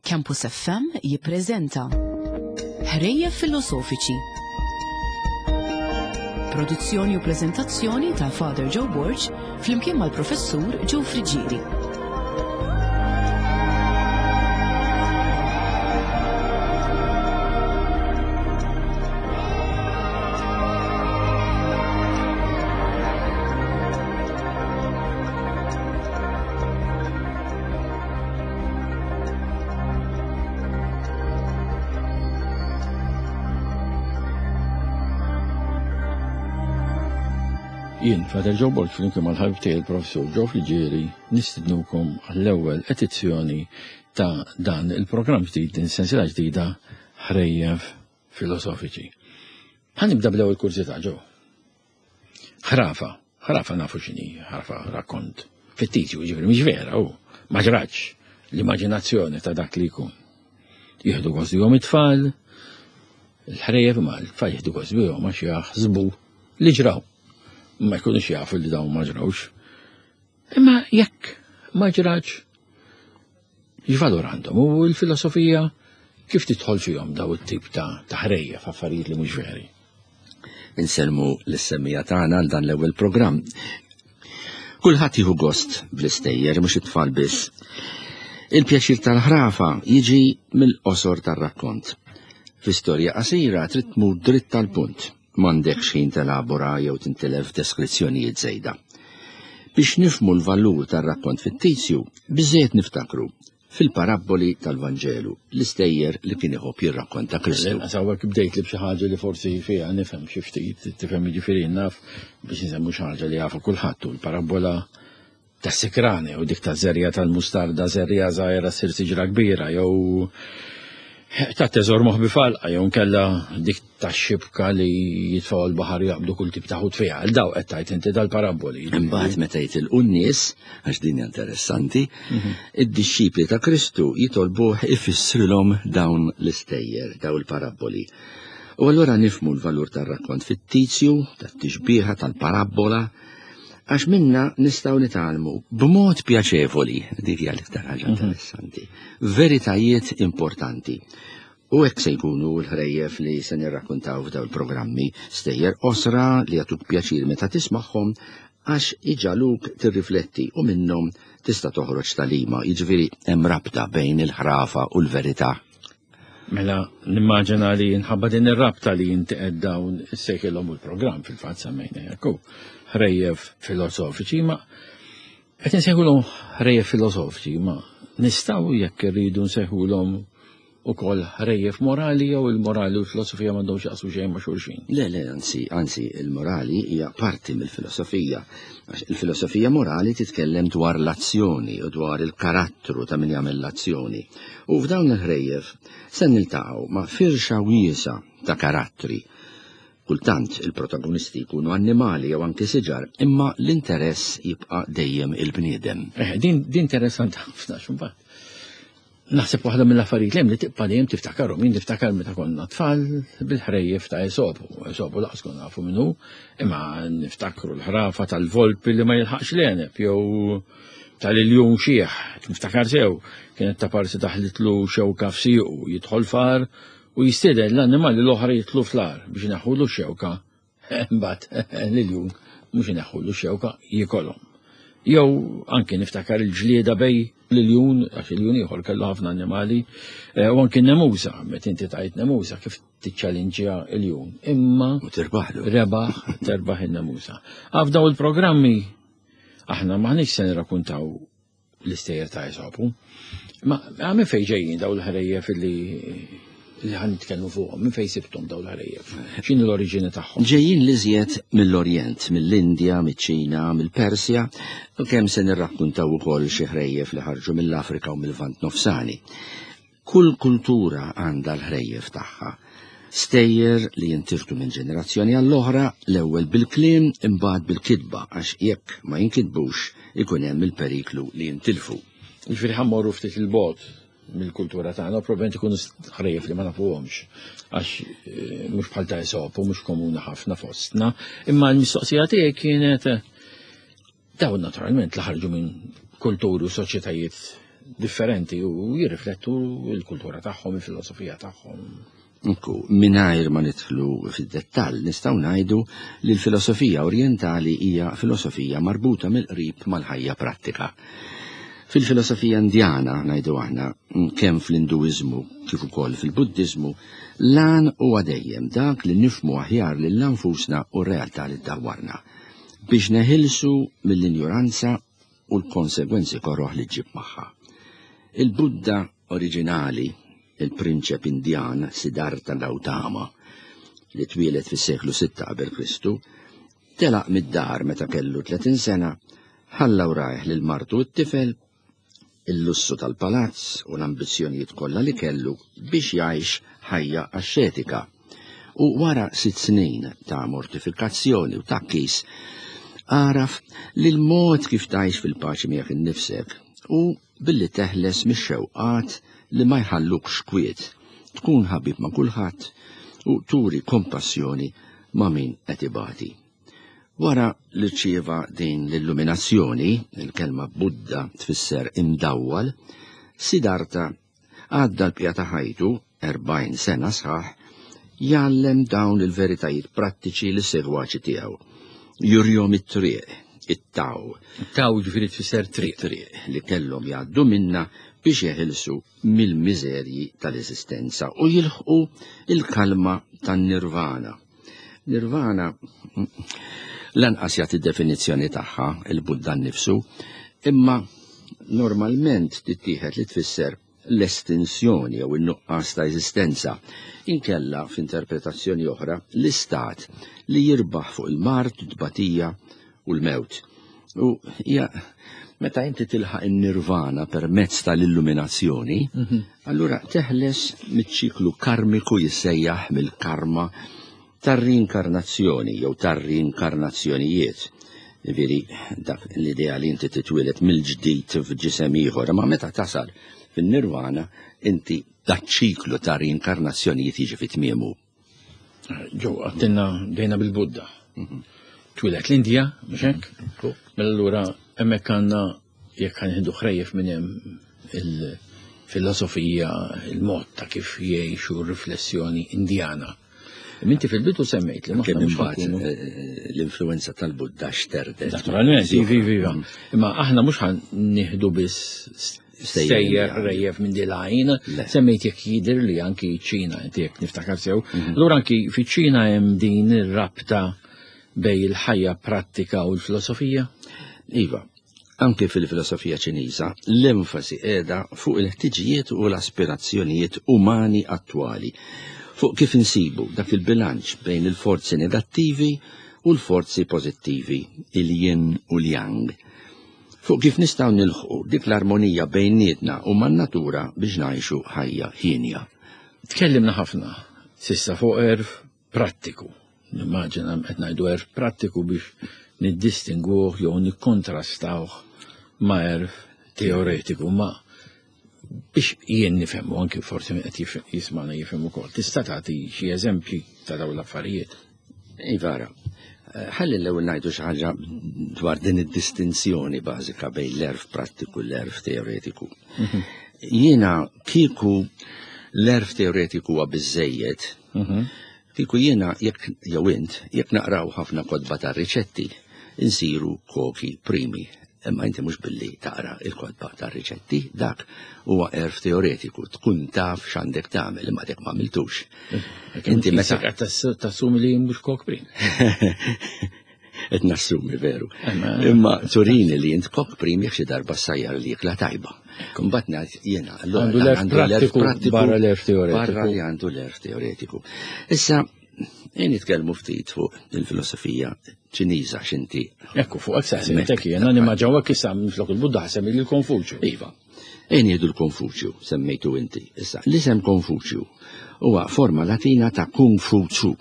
Campus FM jippreżenta Ħrejjef Filosofiċi. Produzzjoni u preżentazzjoni ta' Father Joe Borg flimkien mal-Professur Joe Friggieri. Jien, Father Joe Borg, flimkien mal-ħabib tiegħi il-Professur Joe Friggieri, nistidnukom għall-ewwel edizzjoni ta' dan il-programm ġdid, din sensiela ġdida ħrejjef filosofiċi. Ħa nibda bl-ewwel kurżità, Joe. Ħrafa, ħrafa nafu x'inhi, ħrafa rakkont fittizju, ġifieri mhix vera, u ma ġratx l-immaġinazzjoni ta' dak li jkun. Jieħdu gost bihom it-tfal, il-ħrejjef ma l-tfal jieħdu gost bihom għax jaħsbu li ġraw. Ma jkunux jafu li dawn ma ġrawx. Imma jekk ma ġrax, x'valur għandhom u l-filosofija kif tidħol fihom daw it-tip ta' ħrejjef affarijiet li mhux veri. Insellmu lis-semmiegħa tagħna għal dan l-ewwel programm. Kulħadd jieħu gost bl-istejjer, mhux it-tfal biss. Il-pjaċir tal-ħrafa jiġi mill-qosor tar-rakkont. Fi storja qasira trid tmur dritt tal-punt, m'għandekx ħin telabora jew tintilef deskrizzjonijiet żejda. Biex nifhmu l-valur tar-rakkont fittizju, biżżejjed niftakru fil-parabboli tal-Vanġelu, l-istejjer li kien iħobb jirrakkonta Kristu. L-inqas hawnhekk bdejt li b'xi ħaġa li forsi fiha nifhem xi ftit, tifhem jiġifieri naf biex nsemmu xi ħaġa li jafu kulħadd u l-parabbola tas-sikrani u dik ta' żerja tal-mustarda żerja żgħira ssir siġra kbira jew ta' teżor moħbi falqa jew nkella dik tax-xibka li jitfgħu l-baħar jaqbdu kull tip ta' ħut fiha. Għal daw qed tgħid inti dal-parabboli. Imbagħad meta jitilqu n-nies, għax din hija interessanti, mhm. id-dixxipli ta' Kristu jitolbuh ifissrilhom dawn l-istejjer, dawn il-parabboli. U allura nifmu l-valur tar-rakkont fittizju, tat-tixbieħa, tal-parabbola, għax minna nistgħu nitgħallmu b'mod pjaċevoli, dik hija l-iktar ħaġa mhm. interessanti, veritajiet importanti. U hekk se jkunu l-ħrejjef li se nirrakkuntaw f'dawn il-programmi, stejjer qosra li jagħtuk pjaċir meta tismagħhom għax iġagħluk tirrifletti u minnhom tista' toħroġ tagħlima, jiġifieri hemm rabta bejn il-ħrafa u l-verità. Mela nimmaġina li nħabba din ir-rabta li inti qed dawn issejħilhom il-programm fil-fatt semmejna hekk hu ħrejjef filosofiċi ma qed insejħulhom ħrejjef filosofiċi ma nistgħu jekk irridu nsejħulhom ukoll ħrejjef morali jew il-morali u l-filosofija m'għandhomx jaqsmu xejn ma' xulxin. Le, le, anzi, anzi, il-morali hija parti mill-filosofija. Il-filosofija morali titkellem dwar l-azzjoni u dwar il-karattru ta' min jagħmel l-azzjoni. U f'dawn il-ħrejjef se niltaqgħu ma' firxa wiesgħa ta' karattri. Kultant il-protagonisti jkunu annimali jew anki siġar, imma l-interess jibqa' dejjem il-bniedem. Eh, din, din interessanti ħafna x'imbagħad. Naħseb waħda mill-affarijiet li hemm li tibqa' dejjem tiftakarhom. Jien niftakar meta konna tfal bil-ħrejjef ta' Esopu. Esopu laqas konna nafu min hu, imma niftakru l-ħrafa tal-volpi li ma jilħaqx l-għeneb jew tal-iljun xiħ. Niftakar sew, kienet ta' parsi taħlitlu xewka f'siequ, jidħol far u jistieden l-annimali l-oħra jidħlu fl-għar biex ineħħulu x-xewka Imbagħad l-iljun mhux ineħħulu x-xewka jikolhom. Jew anki niftakar il-ġlieda bej l-iljun, għax il-jun ieħor kellu ħafna annimali, eh, u anki nemusa, meta inti tajt nemusa kif tiċċalinġja il-jun. Imma u tirbaħlu. Rebaħ, terbaħ in-nemusa. Għaf daw il-programmi aħna maħniex se nirrakkuntaw l-istejjer ta' Esopu. Ma minn fejn ġejjin daw l-ħrejjef li li ħan nitkellmu fuqhom, minn fejn sibtom daw l-ħrejjef? X'inhi l-oriġini tagħhom? Ġejjin l-iżjed mill-Orjent, mill-Indja, miċ-Ċina, mill-Persja, u kemm se nirrakkuntaw ukoll xi ħrejjef li ħarġu mill-Afrika u mill-Lvant Nofsani. Kull kultura għandha l-ħrejjef tagħha. Stejjer li jintirtu minn ġenerazzjoni għall-oħra, l-ewwel bil-kliem imbagħad bil-kitba għax jekk ma jinkitbux ikun hemm il-periklu li jintilfu. Jiġifieri ħa mmorru ftit 'il bogħod mill-kultura tagħna u probabbilment ikunu ħrejjef li ma nafuhomx għax eh, mhux bħal ta' Esopu, mhux komuni ħafna fostna. Imma l-mistoqsija tiegħi kienet Dawn naturalment li ħarġu minn kulturi u soċjetajiet differenti u jirriflettu l-kultura tagħhom, il-filosofija tagħhom. Ekku, mingħajr ma nidħlu fid-dettall nistgħu ngħidu li l-filosofija orjentali hija filosofija marbuta mill-qrib mal-ħajja prattika. Fil-filosofija indjana, ngħidu aħna, kemm fl-Induiżmu kif ukoll fil-Buddiżmu, l-għan huwa dejjem dak li nifhmu aħjar lil nfusna u r-realtà li ddawwarna, biex neħilsu mill-injuranza u l-konsegwenzi koroh li ġġib magħha. Il-Budda oriġinali, il-prinċep Indjan Siddhartha Gautama, li twieled fis-seklu 6 qabel Kristu, telaq mid-dar meta kellu 30 sena, ħalla wrajh lil martu u t-tifel, il-lussu tal-palazz u l-ambizzjonijiet kollha li kellu biex jgħix ħajja axxetika. U wara 6 snin ta' mortifikazzjoni u tgħakkis, għaraf li l-mod kif tgħix fil-paċi miegħek innifsek hu billi teħles mix-xewqat li ma jħallukx kwiet, tkun ħabib ma' kulħadd u turi kompassjoni ma' min qed ibati. Wara li rċieva din l-illuminazzjoni, il-kelma Buddha tfisser imdawwal, Siddhartha għadda l-bqija ta' ħajtu, 40 sena sħaħ, jgħallem dawn il-veritajiet prattiċi lis-segwaċi tiegħu. Jurihom it-triq, it-taw. Taw ġifieri tfisser triq. Triq li kellhom jgħaddu minnha biex jeħilsu mill-miżerji tal-eżistenza u jilħqu il-kalma tan-nirvana. Nirvana lanqas jagħti definizzjoni tagħha il-Buddha nnifsu, imma normalment tittieħed li tfisser l-estinsjoni jew in-nuqqas ta' eżistenza, inkella f'interpretazzjoni oħra l-istat li jirbaħ fuq il-mard, it-tbatija u l-mewt. U hija meta inti tilħaq in-nirvana permezz tal-illuminazzjoni, allura teħles miċ-ċiklu karmiku jissejjaħ mill-karma tar-rinkarnazzjoni jew tar-rinkarnazzjonijiet. Ġifieri dak l-idea li inti titwieled mill-ġdid f'ġisem ieħor, imma meta tasal fin-nirvana inti daċ-ċiklu ta' rinkarnazzjonijiet jiġi fi tmiemu. Ġo, għattinna dejna bil-Budda. Twieled l-Indja, mhux hekk? Mela allura hemmhekk għandna jekk ħanħidu ħrejjef minn hemm il-filosofija, il-mod ta' kif jgħixu r-riflessjoni Indjana. Minti fil-bidu semmejt li Kemm imbagħad l-influenza tal-Budda xterdet. Naturalment, iva, iva, iva. Imma aħna mhux ħan nieħdu biss stejjer ħrejjef minn dilajn, semmejt jekk jidher li anki ċ-Ċina, inti jekk niftakar sew. Allura anki fiċ-Ċina hemm din ir-rabta bej il-ħajja prattika u l-filosofija? Iva, anke fil-filosofija Ċiniża l-enfasi qiegħda fuq il-ħtiġijiet u l-aspirazzjonijiet umani attwali, fuq kif insibu dak il-bilanċ bejn il-forzi negattivi u l-forzi pożittivi, il-yin u l-yang, fuq kif nistgħu nilħqu dik l-armonija bejnietna u man-natura biex ngħixu ħajja hienja. Tkellimna ħafna s'issa fuq għerf prattiku. Nimmaġina qed ngħidu għerf prattiku biex niddistingwuh jew nikkontrastawh ma' għerf teoretiku, ma biex jien nifhem u anki forsi min qed jismagħna jifhem ukoll. Tista' tagħti xi eżempji ta' dawn l-affarijiet? Iva, ara. Ħalli l-ewwel ngħidu xi ħaġa dwar din id-distinzjoni bażika bejn l-għerf prattiku u l-għerf teoretiku. Jiena kieku l-għerf teoretiku huwa biżżejjed, kieku jiena jekk jew int jekk naqraw ħafna kotba ta' riċetti, insiru koki primi. Imma inti mhux billi taqra il-kotba ta' riċetti, dak huwa għerf teoretiku, tkun taf x'għandek tagħmel, imma dak ma għamiltux. Inti meta qed tassumi li mhux kok prim. Qed nassumi veru. Imma turini li int kok prim jekk xi darba ssajjar li ikla tajba. Imbagħad ngħid jiena, allura Għandu l-għerf għandu l-għerf prattiku prattiku barra l-għerf teoretiku. Barra li għandu l-għerf teoretiku. Issa, nitkellmu ftit fuq il-filosofija Ċiniża x'inti. Ekku, fuq hekk saqsejtek jiena, nimmaġinaw hekk issa minflok il-Budda ħasem lil Konfuċju. Iva. Ejn jgħidu l-Konfuċju, semmejtu inti. Issa, l-isem Konfuċju huwa forma Latina ta' Kung Fu Tzu,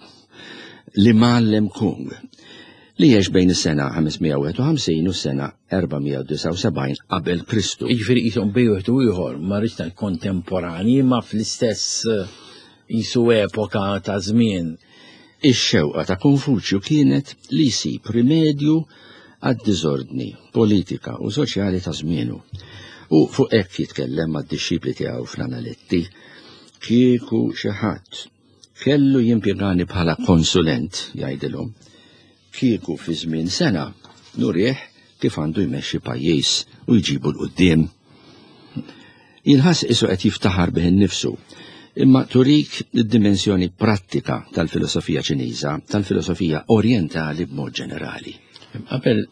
li mgħallem Kung, li għex bejn is-sena 551 u s-sena 479 qabel Kristu. Jiġifieri qishom bejn wieħed u ieħor, ma rridx ngħid kontemporani, ma fl-istess qisu epoka ta' żmien. Ix-xewqa ta' Konfuċju kienet li jsib rimedju għad-diżordni politika u soċjali ta' żmienu. U fuq hekk jitkellem mad-dixxipli tiegħu fl-Analetti. Kieku xi ħadd kellu jimpjegani bħala konsulent, jgħidilhom, kieku fi żmien sena nurih kif għandu jmexxi pajjiż u jġibu 'l quddiem. Jinħass qisu qed jiftaħar bih innifsu, imma turik id-dimensjoni prattika tal-filosofija Ċiniża, tal-filosofija orjentali b'mod ġenerali. Qabel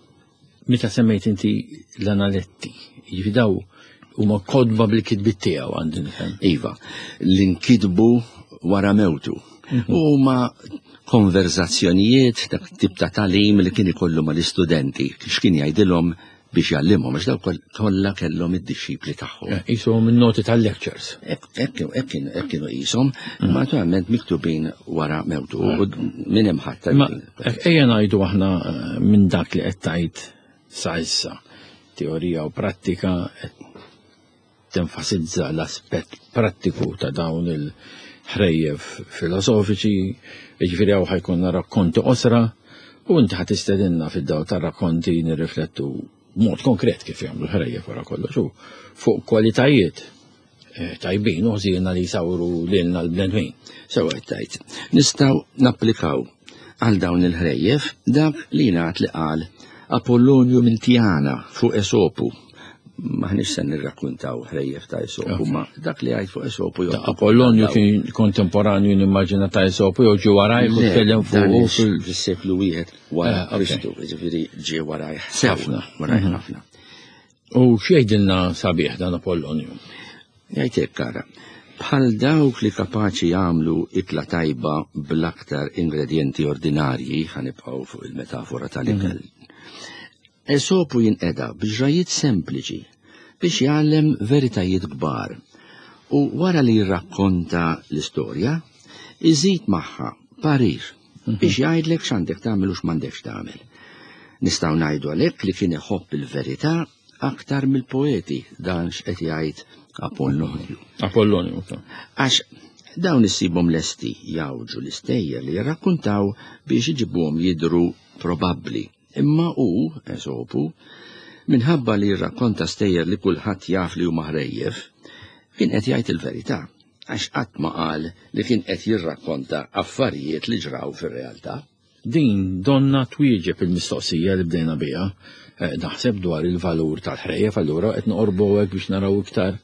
meta semmejt inti l-analetti, jiġifieri daw huma kodba bil-kitbiet tiegħu għandi nifhem. Iva, li nkitbu wara mewtu. Mhm. Huma konverzazzjonijiet dak tip ta' talim li kien ikollu mal-istudenti, x'kien jgħidilhom biex jgħallimhom, għax dawk kollha kellhom id-dixxipli tagħhom. Eh, qishom in-noti tal-lectures. Hekk kienu qishom, mm. ma naturalment miktubin wara mewtu u minn hemm ħadd. Ma ejja ngħidu aħna eh, minn dak li qed tgħid sa issa, teorija u prattika qed tenfasizza l-aspett prattiku ta' dawn il-ħrejjef filosofiċi, jiġifieri hawn ħajkonna rakkonti qosra u inti ħa tistedinna fid-dawl tar-rakkonti nirriflettu b'mod konkret kif jagħmlu l-ħrejjef wara kollox u fuq kwalitajiet eh, tajbin u ħżiena li jsawru lilna l-bnedmin. Sewa qed tgħid. Nistgħu napplikaw għal dawn il-ħrejjef dak li jingħad li qal Apollonju minn Tjana fuq Esopu. Maħniex se nirrakkuntaw ħrejjef ta' Esopu, ma dak li għajt fuq Esopu jew. Apollonju kien kontemporanju nimmaġina ta' Esopu jew ġie waraj u tkellem fuq fis-seklu wieħed wara eh, Kristu, jiġifieri ġie waraj ħafna, waraj mhm. ħafna. U x'jgħidilna sabiħ dan Apollonju? Jgħid hekk ara. Bħal dawk li kapaċi jagħmlu ikla tajba bl-aktar ingredjenti ordinarji, ħanibqgħu fuq il-metafora tal-ikel. Mhm. Esopu jinqeda b'ġrajiet sempliċi biex jgħallem veritajiet kbar u wara li jirrakkonta l-istorja, iżid magħha parir mhm. biex jgħidlek x'għandek tagħmel u x'm'għandekx tagħmel. Nistgħu ngħidu għalhekk li kien iħobb il-verità aktar mill-poeti dan x'qed jgħid Apollonju. Apollonju. Għax dawn issibhom lesti jawġu l-istejjer li jirrakkuntaw biex iġibuhom jidhru probabbli. Imma hu, Esopu, minħabba li jirrakkonta stejjer li kulħadd jaf li huma ħrejjef, kien qed jgħid il-verità, għax qatt ma qal li kien qed jirrakkonta affarijiet li ġraw fir-realtà. Din donnha twieġeb il-mistoqsija li bdejna biha, eh, naħseb dwar il-valur tal-ħrejjef, allura qed noqorbu hekk biex naraw iktar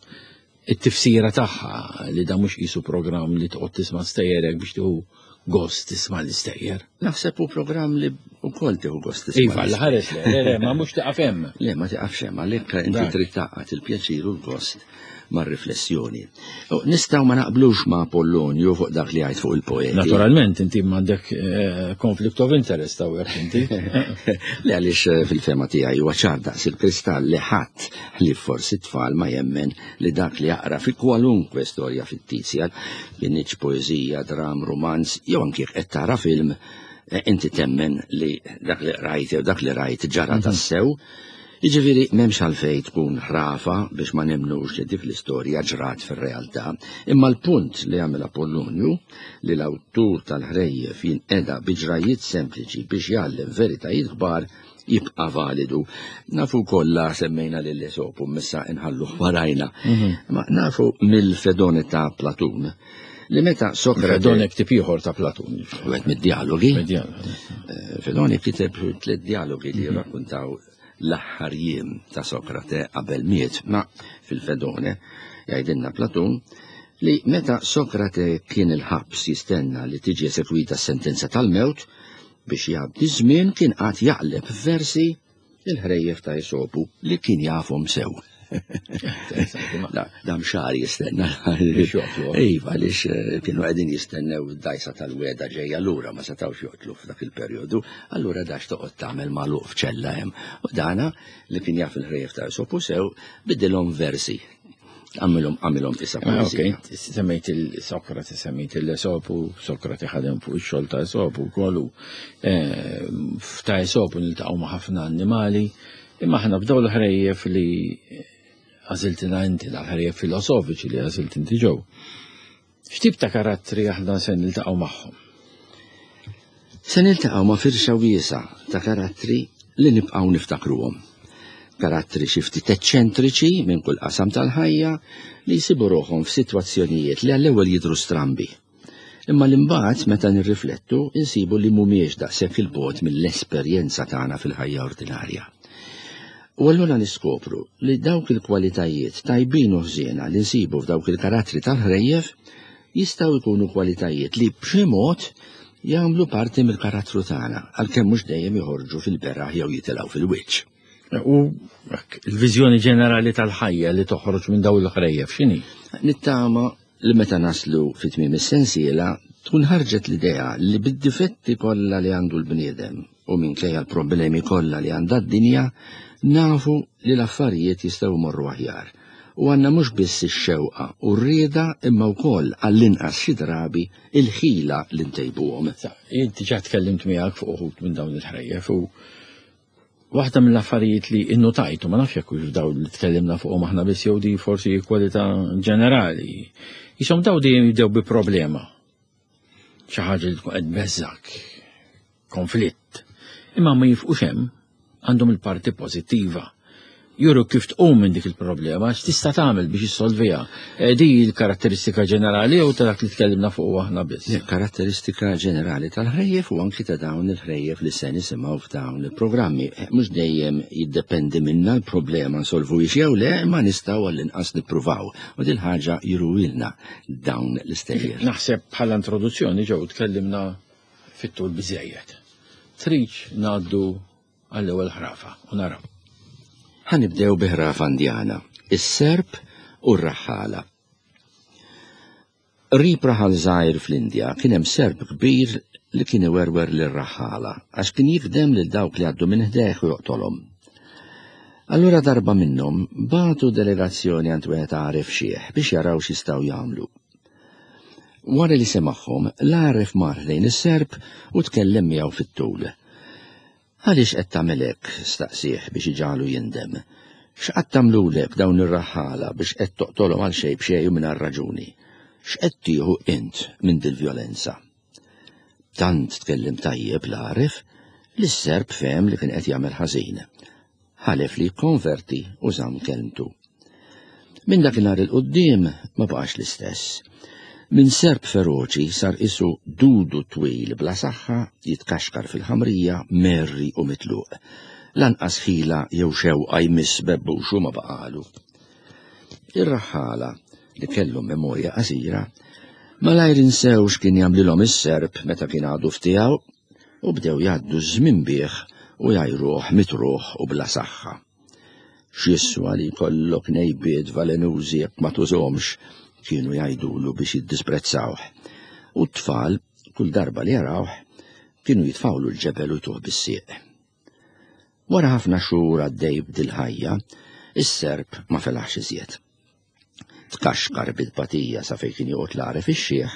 it-tifsira tagħha li da mhux qisu programm li toqgħod tisma' stejjerek biex tieħu gost tisma' l-istejjer. Naħseb hu programm li wkoll tieħu gost tisma'. Iva, l-ħares le, le, le, ma mhux taqaf hemm. Le, ma tiqafx hemm, għalhekk inti trid taqgħad il-pjaċir u l-gost mar-riflessjoni. Nistgħu ma naqblux ma' Apollonju fuq dak li għajt fuq il-poeti. Naturalment, inti m'għandek eh, conflict of interest hawnhekk inti. Le għaliex eh, fil-fema tiegħi huwa ċar daqs il-kristall li ħadd li forsi tfal ma jemmen li dak li jaqra fi kwalunkwe storja fittizja, kinitx poeżija, dram, rumanz, jew anki qed tara film, eh, inti temmen li dak li rajt jew dak li rajt ġara mhm. tassew. Jiġifieri m'hemmx għalfejn tkun ħrafa biex ma nemmnux li dik l-istorja ġrat fir-realtà, imma l-punt li għamel Apollonju li l-awtur tal-ħrejjef jinqeda bi ġrajjiet sempliċi biex jgħallem veritajiet kbar jibqa' validu. Nafu kollha semmejna lil Esopu missa inħalluh warajna. Mhm. Ma nafu mill-Fedone ta' Platun li meta Sokrate. Fedone ktib ieħor ta' Platun. Wieħed mid-dialogi. Eh, Fedone kiteb tliet dialogi li mhm. jirrakkuntaw l-aħħar jiem ta' Sokrate qabel miet, ma fil-Fedone jgħidilna Platun li meta Sokrate kien il-ħabs jistenna li tiġi esekwita s-sentenza tal-mewt, Biex jgħaddi ż-żmien kien qagħad jaqleb f'versi il-ħrejjef ta' Esopu li kien jafhom sew. Dam xahar jistenna. Iva, għaliex eh, kienu qegħdin jistennew id-dajsa tal-weda ġejja lura ma setgħux joqtlu f'dak il-perjodu, allura dax toqgħod tagħmel magħluq f'ċella hemm. U dana li kien jaf il-ħrejjef ta' Esopu sew bidilhom versi Għamilhom għamilhom issa ah, Ok, semmejt il-Sokrati, semmejt il-Esopu, Sokrati ħadem fuq ix-xogħol ta' Esopu wkoll eh, ta' Esopu niltaqgħu ma' ħafna annimali, imma aħna b'daw l-ħrejjef li għażiltina inti, l-ħrejjef filosofiċi li għażilt inti ġew. X'tip ta' karattri aħna se niltaqgħu magħhom? Se niltaqgħu ma' firxa wiesgħa ta' karattri li nibqgħu niftakruhom. Karattri xi ftit eċċentriċi minn kull qasam tal-ħajja li jsibu ruħhom f'sitwazzjonijiet li għall-ewwel jidhru strambi. Imma li mbagħad meta nirriflettu insibu li mhumiex daqshekk 'il bogħod mill-esperjenza tagħna fil-ħajja ordinarja. U allura niskopru li dawk il-kwalitajiet tajbin u ħżiena li nsibu f'dawk il-karattri tal-ħrejjef jistgħu jkunu kwalitajiet li b'xi mod jagħmlu parti mill-karattru tagħna, għalkemm mhux dejjem joħorġu fil-beraħ jew jitilgħu fil-wiċċ. U l-viżjoni ġenerali tal-ħajja li toħroġ minn dawn il-ħrejjef x'inhi? Nittama li meta naslu fi tmiem is-sensiela tkun ħarġet l-idea li bid-difetti kollha li għandu l-bniedem u minkejja l-problemi kollha li għandha d-dinja, nafu li l-affarijiet jistgħu jmorru aħjar. U għandna mhux biss ix-xewqa u r-rieda imma wkoll għall-inqas xi drabi il-ħila li ntejbuhom. Jien diġà tkellimt miegħek fuq uħud minn dawn il-ħrejjef u waħda mill-affarijiet li innotajt, u ma nafx jekk hux f'dawn li tkellimna fuqhom aħna biss jew di forsi kwalità ġenerali, jisom daw dejjem jibdew bi problema. Xi ħaġa li tkun qed beżżak, konflitt. Imma ma jifqux hemm, għandhom il-parti pożittiva. Juru kif tqum minn dik il-problema, x'tista' tagħmel biex issolviha. Eh, di l-karatteristika ġenerali jew ta' dak li tkellimna fuq aħna biss. Karatteristika ġenerali tal-ħrejjef u anki ta' dawn il-ħrejjef li se nisimgħu f'dawn il-programmi. Eh, mhux dejjem jiddependi minna l-problema nsolvu jew le, ma nistgħu għall-inqas nippruvaw. U dil ħaġa juruilna dawn l-istejjer. Naħseb bħala introduzzjoni ġew tkellimna fit-tul biżejjed. Tridx ngħaddu għall-ewwel ħrafa u naraw. Ħa nibdew bi ħrafa Indjana, is-serp u r-raħħala. Qrib raħal żgħir fl-Indja kien hemm serp kbir li kien iwerwer lir-raħħala għax kien jikdem lil dawk li għaddu minn ħdejh u joqtolhom. Allura darba minnhom bagħtu delegazzjoni għand wieħed għaref xiħ biex jaraw x'jistgħu jagħmlu. Wara li semagħhom, l-għaref mar ħdejn is-serp u tkellem miegħu fit-tul. Għaliex qed tagħmel hekk? staqsieh biex iġagħlu jindem. X'qatt għamlulek dawn ir-raħħala biex qed toqtolhom għal xejn b'xejn u mingħajr raġuni? X'qed tieħu int minn dil-vjolenza? Tant tkellem tajjeb l-għaref li s-serp fehem li kien qed jagħmel ħażin. Ħalef li jikkonverti u żamm kelmtu. Minn dakinhar 'il quddiem ma baqax l-istess. Minn serp feroċi sar qisu dudu twil bla saħħa jitkaxkar fil-ħamrija mgħerri u mitluq. Lanqas ħila jew xewqa jmiss bebbuxu ma baqagħlu. Ir-raħħala, li kellhom memorja qasira, malajr insew x'kien jagħmlilhom is-serp meta kien għadu f'tiegħu u bdew jgħaddu ż-żmien bih u jgħajruh mitruħ u bla saħħa. X'jiswa li jkollok nejbiet valenużi jekk ma tużhomx, kienu jgħidulu biex jiddisprezzawh. U t-tfal, kull darba li jarawh, kienu jitfgħulu l-ġebel u jtuh bis-sieq. Wara ħafna xhur għaddej b'dil-ħajja, is-serp ma felaħx iżjed. Tkaxkar bi tbatija sa fejn kien joqgħod l-għaref ix-xiħ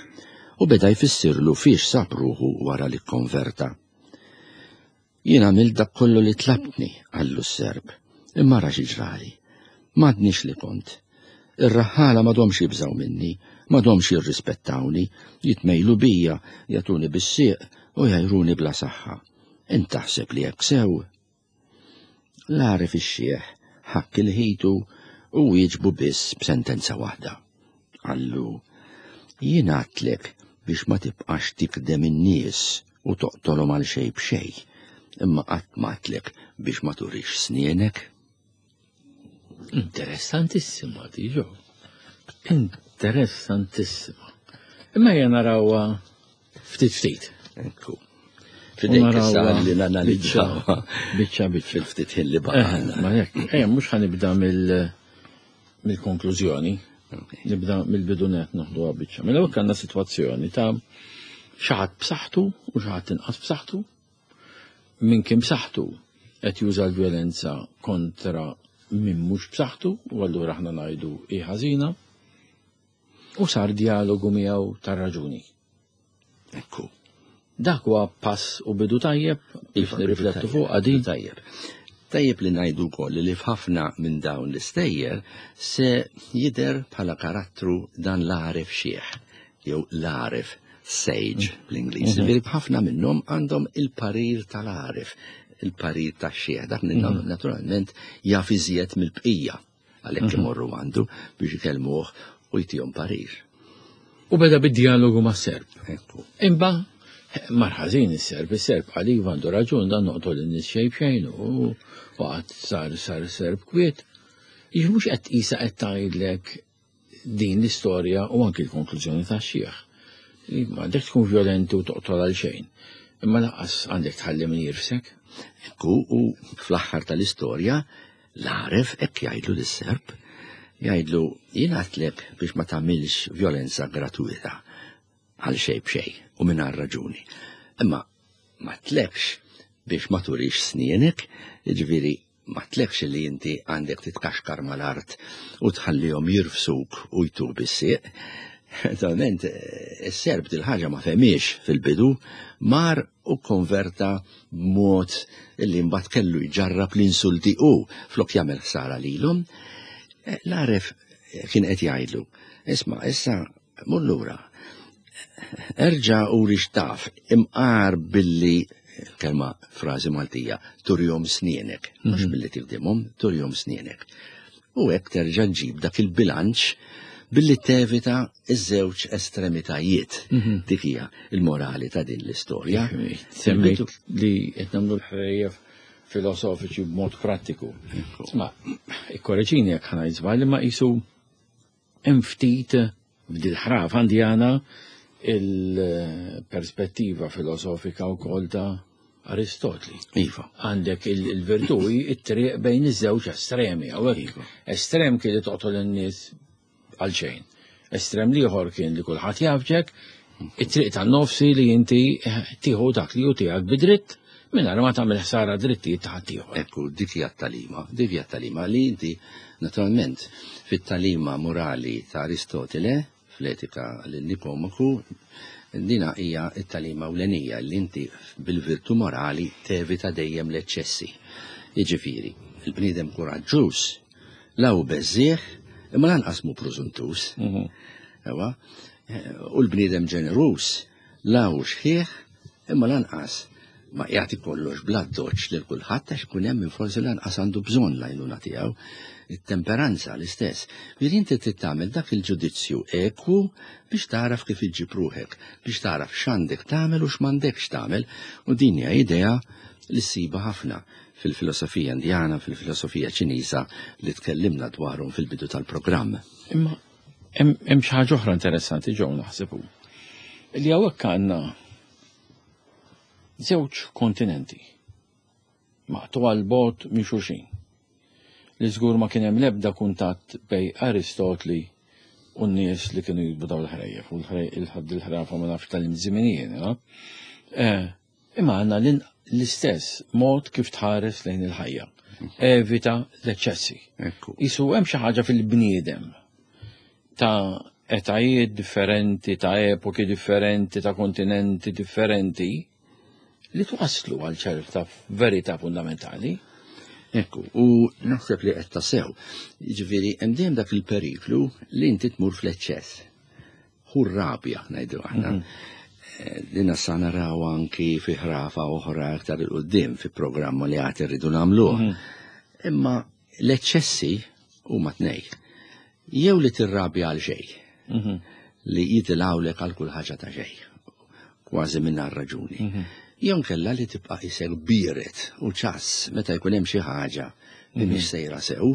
u beda jfissirlu fiex sab ruħu wara li kkonverta. Jien għamilt dak kollu li tlabtni, qallu s-Serb, imma ara xi ġrali. M'għadnix li kont. Ir-raħħala m'għadhomx jibżgħu minni, m'għadhomx jirrispettawni, jitmejlu bija, jagħtuni bis-sieq u jgħajruni bla saħħa. Int taħseb li hekk sew? L-għaref ix-xiħ ħakk il-ħitu u wieġbu biss b'sentenza waħda. Qallu, jien għadtlek biex ma tibqax tikdem in-nies u toqtolhom għal xejn b'xejn, imma qatt m'għadtlek biex ma turix snienek. Interessantissima di ġo. Interessantissima. Imma jena narawha ftit ftit. Ekku. Fidejk issa li nanalizzaw. Biċċa biċċa. Fil-ftit ħin li baqa'. Eh, ma jekk, eh, mhux ħanibda mill-konklużjoni. Nibda mill-bidu net noħduha biċċa. Mela hekk għandna sitwazzjoni ta' xi ħadd b'saħħtu u xi ħadd inqas b'saħħtu. Min kien b'saħħtu qed juża l-vjolenza kontra min mhux b'saħħtu u allura aħna ngħidu hi ħażina. U sar dialogu miegħu tar-raġuni. Ekku. Dak huwa pass u bidu tajjeb biex nirriflettu fuq għadin. Tajjeb. Tajjeb li ngħidu wkoll li f'ħafna minn dawn l-istejjer se jidher bħala karattru dan l-għaref xiħ jew l-għaref sage bl-Ingliż. Ġifieri ħafna minnhom għandhom il-parir tal-għaref. il-parir tax-xiħ, dak naturalment jaf iżjed mill-bqija għalhekk imorru għandu biex ikellmuh u jtihom parir. U beda bid-dialogu ma' Serb. Ekku. Imba, mar ħażin is-Serb, is-Serb qal iva għandu raġun dan noqtol in-nies xejn b'xejn u waqgħad sar sar Serb kwiet. Jiġi mhux qed qisha qed tgħidlek din l-istorja u anki l-konklużjoni tax-xiħ. Li m'għandek tkun violenti u toqtol għal xejn. Imma lanqas għandek tħalli min jirfsek. Ekku, u fl-aħħar tal-istorja, l-għaref hekk jgħidlu lis-Serb, jgħidlu jien għedtlek biex ma tagħmilx violenza gratuita għal xejn b'xejn u mingħajr raġuni. Imma ma tlekx biex ma turix snienek, jiġifieri ma tlekx li inti għandek titkaxkar mal-art u tħallihom jirfsuk u jtuk bis-sieq. Naturalment, is-Serb dil-ħaġa ma fehmiex fil-bidu, mar u konverta b'mod li mbagħad kellu jġarrab l-insulti u flok jagħmel ħsara lilhom. L-għaref kien qed jgħidlu, isma' issa mur lura, erġa' uri x'taf, imqar billi kelma frażi Maltija, turjom snienek, mhux billi tigdimhom, turjom snienek. U hekk terġa' ġġib dak il-bilanċ billi tevita iż-żewġ estremitajiet. Dik hija il-morali ta' din l-istorja. Semmejt li qed nagħmlu l-ħrejjef filosofiċi b'mod prattiku. Isma', ikkoreġini jekk ħa ngħid żball, imma qisu hemm ftit f'dil-ħrafa Indjana il-perspettiva filosofika wkoll ta' Aristotli. Iva. Għandek il-virtù it-triq bejn iż-żewġ estremi. Hawnhekk estrem kien li toqtol in-nies għal xejn. Estrem l-ieħor kien li kulħadd jafġek, it-triq tan-nofsi li inti tieħu dak li hu tiegħek bidritt mingħajr ma tagħmel ħsara drittijiet ta' ħaddieħor. Ekku, dik hija t-talima, dik hija t-talima li inti naturalment fit-talima morali ta' Aristotele, fl-etika lil Nikomaku, dina hija t-talima ewlenija li inti bil-virtu morali tevita dejjem l-eċċessi. Jiġifieri, il-bniedem kuraġġuż la hu beżżieħ imma lanqas mhu prużuntuż. Ewa, u l-bniedem ġeneruż la hu xħieħ imma lanqas ma jagħti kollox bla doċ lil kulħadd għax ikun hemm min forsi lanqas għandu bżonn l-għajnuna tiegħu. It-temperanza l-istess. Ġifieri inti trid tagħmel dak il-ġudizzju ekwu biex tagħraf kif iġġib ruħek, biex tagħraf x'għandek tagħmel u x'm'għandekx tagħmel, u din hija idea li ssibha ħafna fil-filosofija Indjana, fil-filosofija Ċiniża li tkellimna dwarhom fil-bidu tal-programm. Imma hemm xi ħaġa oħra interessanti ġew naħsebu. Li hawnhekk għandna żewġ kontinenti maqtu għal bogħod minn xulxin. Li żgur ma kien hemm l-ebda kuntatt bej Aristotli u n-nies li kienu jikbu dawn il-ħrejjef u l-ħrafa ma nafx tal-imżiminijien. Imma għandna l-istess mod kif tħares lejn il-ħajja. Evita l-eċċessi. Isu hemm xi ħaġa fil-bniedem ta' etajiet differenti, ta' epoki differenti, ta' kontinenti differenti, li twaslu għal ċerta verità fundamentali. Ekku, u naħseb li qed tasew. Jiġifieri hemm dejjem dak il-periklu li inti tmur fl-eċċess. Hu rabja ngħidu aħna. Din sa naraw anki fi ħrafa oħra aktar 'il quddiem fi programma li għad irridu nagħmluh. Imma l-eċċessi huma tnej. Jew li tirrabja għal xejn, li jitilgħulek għal kull ħaġa ta' xejn, kważi mingħajr raġuni. Jew nkella li tibqa' isek biered u ċass meta jkun hemm xi ħaġa li mhix sejra sew.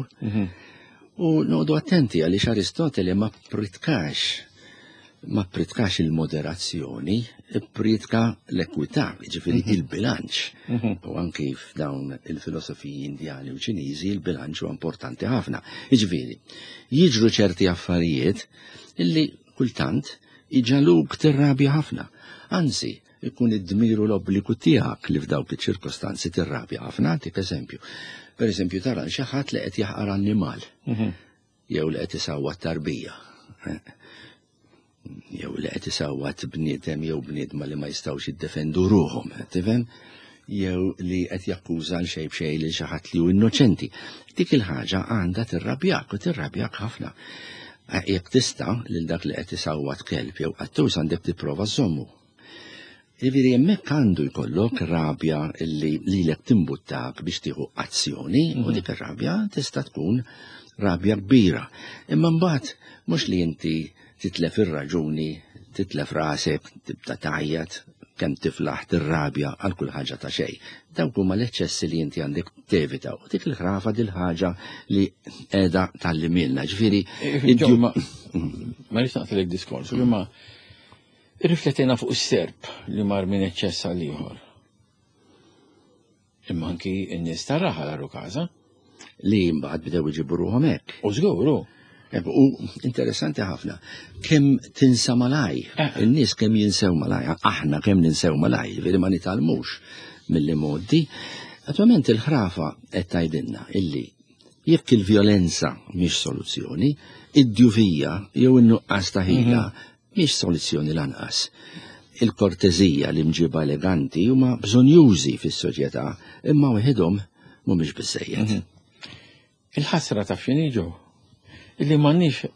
U noqogħdu attenti għaliex Aristotele ma pritkax il-moderazzjoni, ppritka l-ekwità, jiġifieri il-bilanċ. U anki f'dawn il-filosofiji Indjani u Ċiniżi il-bilanċ huwa importanti ħafna. Jiġifieri, jiġru ċerti affarijiet illi kultant iġaluk tirrabja ħafna. Anzi, ikun id-dmir u l-obbligu tiegħek li f'dawk iċ-ċirkostanzi tirrabja ħafna. Għantik eżempju. Per eżempju, tara xi ħadd li qed jaħqar annimal. Jew li qed isawwat tarbija. Jew li qed isawwat bniedem jew bniedma li ma jistgħux jiddefendu ruħhom, tifhem? Jew li qed jakkuża għal xejn b'xejn lil xi ħadd li hu innoċenti. Dik il-ħaġa għandha tirrabjak u tirrabjak ħafna. Jekk tista' lil dak li qed isawwat kelb jew qattus għandek tipprova żommu. Jiġifieri hemmhekk għandu jkollok rabja illi lilek timbuttak biex tieħu azzjoni u mhm. dik ir-rabja tista' tkun rabja kbira. Imma mbagħad mhux li inti titlef ir-raġuni, titlef rasek, tibda tgħajjat, kemm tiflaħ tirrabja għal kull ħaġa ta' xejn. Dawk huma l-eċċessi li inti għandek tevita. U dik il-ħrafa dil ħaġa li qiegħda tallimilna. Ġifieri eh, ma rridx naqtilek diskors, imma Irriflettejna fuq is-serp li mar minn eċċess għal ieħor. Imma anki n-nies tar-raħal għarru każa. Li mbagħad bdew iġibu ruħhom hekk. U żgur hu. U interessanti ħafna, kemm tinsa malaj, eh. in-nies kemm jinsew malaj, aħna kemm ninsew malaj, veri ma nitgħallmux mill-modi. Attualment il-ħrafa qed tgħidilna illi jekk il-vjolenza mhix soluzzjoni, id-djufija jew in-nuqqas ta' ħila mhm. Mhix soluzzjoni lanqas. Il-korteżija, l-imġiba eleganti huma bżonjużi fis-soċjetà, imma waħedhom mhumiex biżżejjed. Mhm. Il-ħasra taf x'inhi ġo? Illi m'għandniex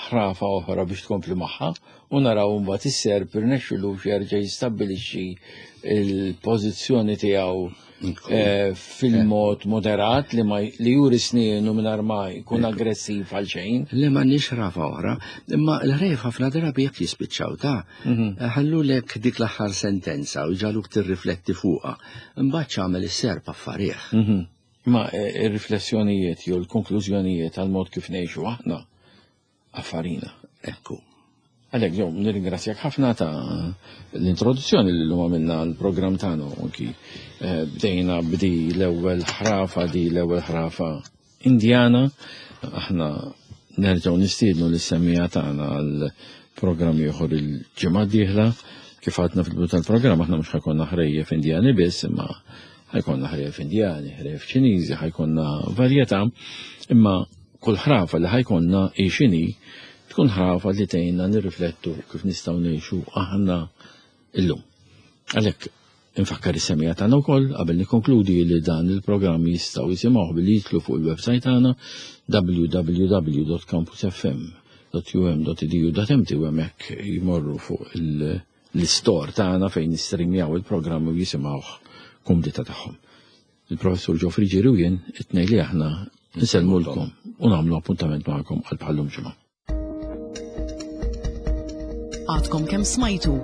ħrafa oħra biex tkompli magħha u naraw mbagħad is-serp irnexxilux jerġa' jistabbilixxi l-pożizzjoni tiegħu eh, fil-mod moderat li ma li juri snienu mingħajr ma jkun aggressiv għal xejn. Li ma nix rafa oħra, imma l-ħrejf ħafna drabi jekk jispiċċaw ta' mhm. ħallulek dik l-aħħar sentenza u ġaluk tirrifletti fuqha. Imbagħad x'għamel is-serp affarih. Mhm. Ma eh, ir-riflessjonijiet jew l-konklużjonijiet għal mod kif ngħixu aħna affarina. Ekku. Għalhekk ġew nirringrazzjak ħafna ta' l-introduzzjoni li llum għamilna l-programm tagħna anki eh, bdejna bdi l-ewwel ħrafa di l-ewwel ħrafa Indjana. Aħna nerġgħu nistiednu lis-semmiegħa tagħna għal programm ieħor il-ġimgħa d-dieħla. Kif għadna fil-bidu tal-programm aħna mhux ħajkonna ħrejjef Indjani biss, imma ħajkonna ħrejjef Indjani, ħrejjef Ċiniżi, ħajkonna varjetà, imma kull ħrafa li ħajkonna hi x'inhi tkun ħrafa li tgħinna nirriflettu kif nistgħu ngħixu aħna illum. Għalhekk infakkar is-semija tagħna wkoll qabel nikkonkludi li dan il-programm jistgħu jisimgħuh billi jidħlu fuq il-website tagħna www.campusfm.um.edu.mt u hemmhekk jmorru fuq l-istor tagħna fejn nistrimjaw il-programm u jisimgħuh kumdita tagħhom. Il-Professur Joe Friggieri u jien, it-tnejn li aħna, nsellmulkom u nagħmlu appuntament magħkom għal bħallum ġimgħa. Għadkom kemm smajtu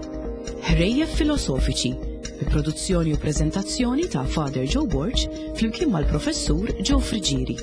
Ħrejjef Filosofiċi bi produzzjoni u preżentazzjoni ta' Father Joe Borg flimkien mal-Professur Joe Friggieri.